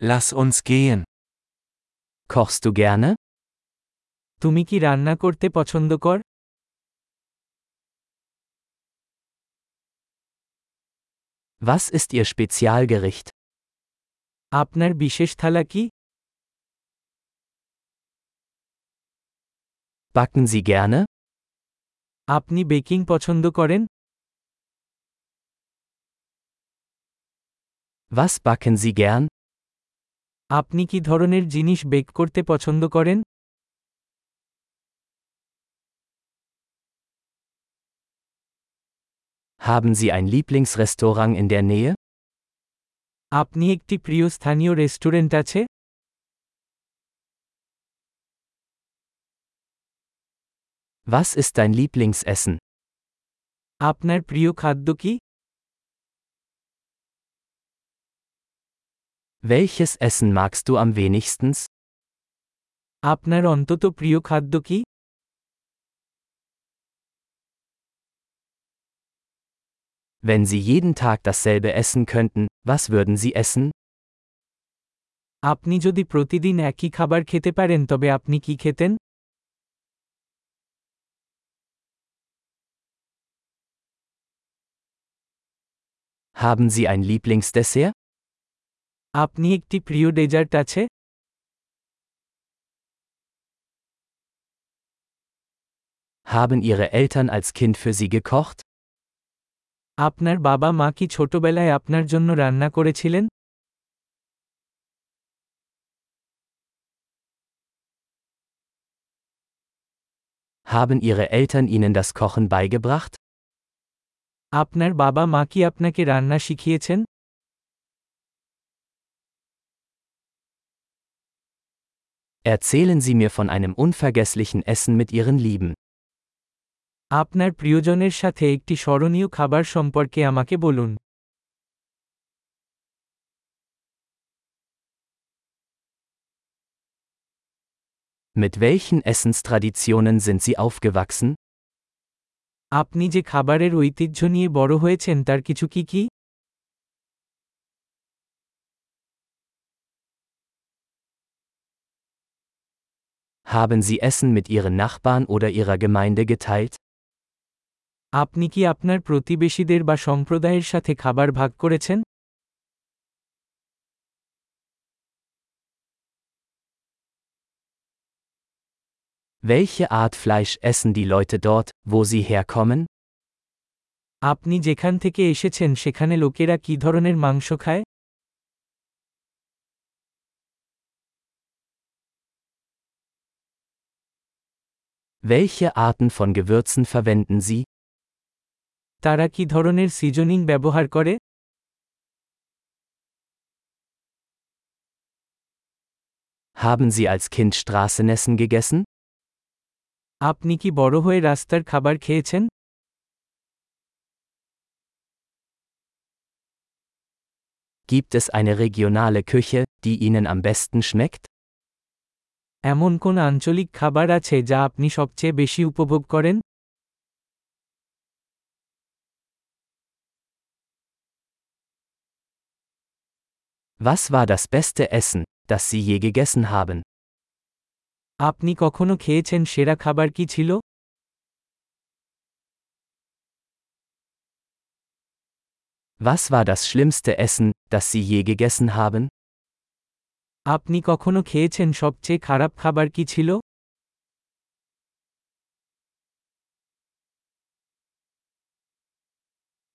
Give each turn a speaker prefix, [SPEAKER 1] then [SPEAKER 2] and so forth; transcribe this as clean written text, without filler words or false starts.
[SPEAKER 1] Lass uns gehen. Kochst du gerne?
[SPEAKER 2] তুমি কি রান্না করতে পছন্দ কর?
[SPEAKER 1] Was ist Ihr Spezialgericht?
[SPEAKER 2] আপনার বিশেষ থালা কি?
[SPEAKER 1] Backen Sie gerne?
[SPEAKER 2] আপনি বেকিং পছন্দ করেন?
[SPEAKER 1] Was backen Sie gern?
[SPEAKER 2] আপনি কি ধরনের জিনিস বেক করতে পছন্দ করেন?
[SPEAKER 1] Haben Sie ein Lieblingsrestaurant in der Nähe?
[SPEAKER 2] আপনি একটি প্রিয় স্থানীয় রেস্টুরেন্ট আছে?
[SPEAKER 1] Was ist dein Lieblingsessen?
[SPEAKER 2] আপনার প্রিয় খাদ্য কি?
[SPEAKER 1] Welches Essen magst du am wenigsten?
[SPEAKER 2] আপনার অন্তত প্রিয় খাদ্য কি?
[SPEAKER 1] Wenn Sie jeden Tag dasselbe essen könnten, was würden Sie essen?
[SPEAKER 2] আপনি যদি প্রতিদিন একই খাবার খেতে পারেন তবে আপনি কি খেতেন?
[SPEAKER 1] Haben Sie ein Lieblingsdessert?
[SPEAKER 2] আপনি একটি প্রিয় ডেজার্ট আছে?
[SPEAKER 1] Haben Ihre Eltern als Kind für Sie gekocht?
[SPEAKER 2] আপনার বাবা মা কি ছোটবেলায় আপনার জন্য রান্না করেছিলেন?
[SPEAKER 1] Haben Ihre Eltern Ihnen das Kochen beigebracht?
[SPEAKER 2] আপনার বাবা মা কি আপনাকে রান্না শিখিয়েছেন?
[SPEAKER 1] Erzählen Sie mir von einem unvergesslichen Essen mit Ihren Lieben.
[SPEAKER 2] আপনার প্রিয়জনের সাথে একটি স্মরণীয় খাবার সম্পর্কে আমাকে বলুন।
[SPEAKER 1] Mit welchen Essenstraditionen sind Sie aufgewachsen?
[SPEAKER 2] আপনি যে খাবারের ঐতিহ্য নিয়ে বড় হয়েছেন তার কিছু কি কি?
[SPEAKER 1] Haben Sie Essen mit Ihren Nachbarn oder Ihrer Gemeinde geteilt?
[SPEAKER 2] আপনি কি আপনার প্রতিবেশীদের বা সম্প্রদায়ের সাথে খাবার ভাগ করেছেন?
[SPEAKER 1] Welche Art Fleisch essen die Leute dort, wo sie herkommen?
[SPEAKER 2] আপনি যেখান থেকে এসেছেন সেখানে লোকেরা কি ধরনের মাংস খায়?
[SPEAKER 1] Welche Arten von Gewürzen verwenden Sie?
[SPEAKER 2] তারা কি ধরনের সিজনিং ব্যবহার করে?
[SPEAKER 1] Haben Sie als Kind Straßenessen gegessen?
[SPEAKER 2] আপনি কি বড় হয়ে রাস্তার খাবার খেয়েছেন?
[SPEAKER 1] Gibt es eine regionale Küche, die Ihnen am besten schmeckt?
[SPEAKER 2] এমন কোন আঞ্চলিক খাবার আছে যা আপনি সবচেয়ে বেশি উপভোগ করেন?
[SPEAKER 1] Was war das beste Essen, das Sie je gegessen haben?
[SPEAKER 2] আপনি কখনো খেয়েছেন সেরা খাবার কি ছিল?
[SPEAKER 1] Was war das schlimmste Essen, das Sie je gegessen haben?
[SPEAKER 2] আপনি কখনো খেয়েছেন সবচেয়ে খারাপ খাবার কি ছিল?